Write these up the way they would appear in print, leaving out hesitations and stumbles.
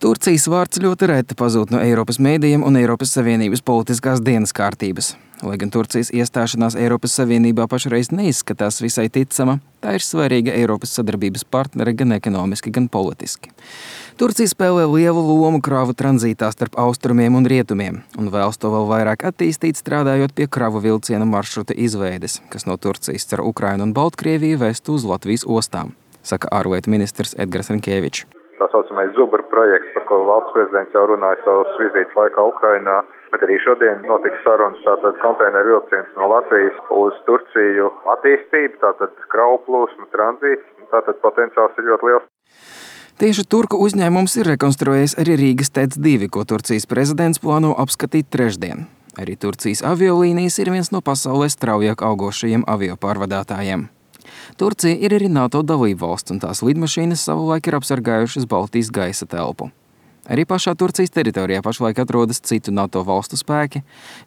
Turcijas vārds ļoti reti pazūd no Eiropas mēdījiem un Eiropas Savienības politiskās dienas kārtības. Lai gan Turcijas iestāšanās Eiropas Savienībā pašreiz neizskatās visai ticama, tā ir svarīga Eiropas sadarbības partnere gan ekonomiski, gan politiski. Turcija spēlē lielu lomu kravu tranzītā starp austrumiem un rietumiem, un vēlas to vēl vairāk attīstīt, strādājot pie kravu vilciena maršruta izveides, kas no Turcijas caur Ukrainu un Baltkrieviju vestu uz Latvijas ostām, saka ārlietu ministrs Edgars Rinkēvičs. Tā saucamais Zubra projekts, par ko valsts prezidents jau runāja savas vizītes laikā Ukrainā, bet arī šodien notiks sarunas, tātad konteineru vilciens no Latvijas uz Turciju attīstību, tātad kravu plūsmu tranzīts, tātad potenciāls ir ļoti liels. Tieši turku uzņēmums ir rekonstruējis arī Rīgas TEC 2, ko Turcijas prezidents plāno apskatīt trešdien. Arī Turcijas aviolīnijas ir viens no pasaulē straujāk augošajiem aviopārvadātājiem. Turcija ir arī NATO dalībvalsts, un tās lidmašīnas savulaik ir apsargājušas Baltijas gaisa telpu. Arī pašā Turcijas teritorijā pašlaik atrodas citu NATO valstu spēki,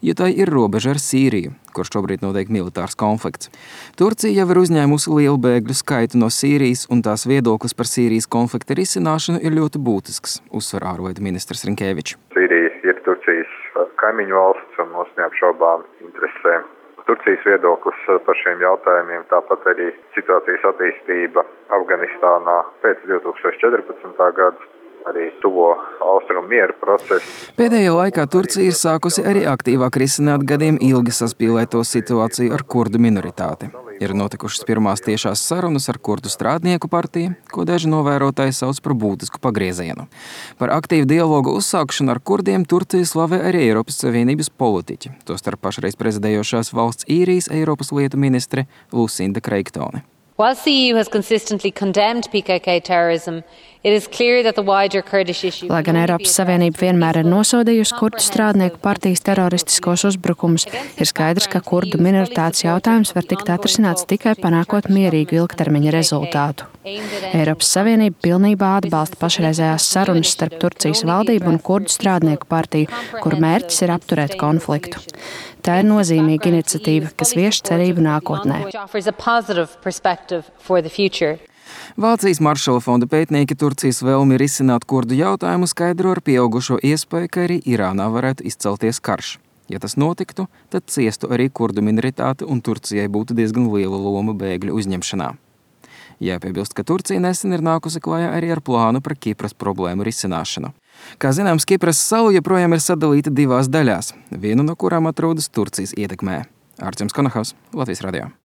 jo tai ir robeža ar Sīriju, kur šobrīd notiek militārs konflikts. Turcija jau ir uzņēmusi lielu bēgļu skaitu no Sīrijas, un tās viedoklis par Sīrijas konflikta risināšanu ir ļoti būtisks, uzsver ārlietu ministrs Rinkēvičs. Sīrija ir Turcijas kaimiņu valsts un mūs neapšaubām interesē Turcijas viedoklis par šiem jautājumiem, tāpat arī situācijas attīstība Afganistānā pēc 2014. gada, arī tuvo austrumu miera procesu. Pēdējā laikā Turcija ir sākusi arī aktīvāk risināt gadiem ilgi saspīlēto situāciju ar kurdu minoritāti. Ir notikušas pirmās tiešās sarunas ar kurdu strādnieku partiju, ko daži novērotāji sauc par būtisku pagriezienu. Par aktīvu dialogu uzsākšanu ar kurdiem Turcija slavē arī Eiropas Savienības politiķi, tostarp pašreiz prezidējošās valsts Īrijas Eiropas lietu ministre Lucinda Creighton. Whilst the EU has consistently condemned PKK terrorism, it is clear that the wider Kurdish issue... Lai gan Eiropas Savienība vienmēr ir nosodījusi kurdu strādnieku partijas teroristiskos uzbrukumus, ir skaidrs, ka kurdu minoritātes jautājums var tikt atrisināts tikai panākot mierīgu ilgtermiņa rezultātu. Eiropas Savienība pilnībā atbalsta pašreizējās sarunas starp Turcijas valdību un kurdu strādnieku partiju, kuru mērķis ir apturēt konfliktu. Tā ir nozīmīga iniciatīva, kas vieš cerību nākotnē. Vācijas Maršala fonda pētnieki Turcijas vēlmi risināt kurdu jautājumu skaidro ar pieaugušo iespēju, ka arī Irānā varētu izcelties karš. Ja tas notiktu, tad ciestu arī kurdu minoritāte un Turcijai būtu diezgan liela loma bēgļu uzņemšanā. Jāpiebilst, ka Turcija nesen ir nākusi klajā arī ar plānu par Kipras problēmu risināšanu. Kā zināms, Kipras salu joprojām ir sadalīta divās daļās, vienu no kurām atrodas Turcijas ietekmē. Artjoms Konahaus, Latvijas radio.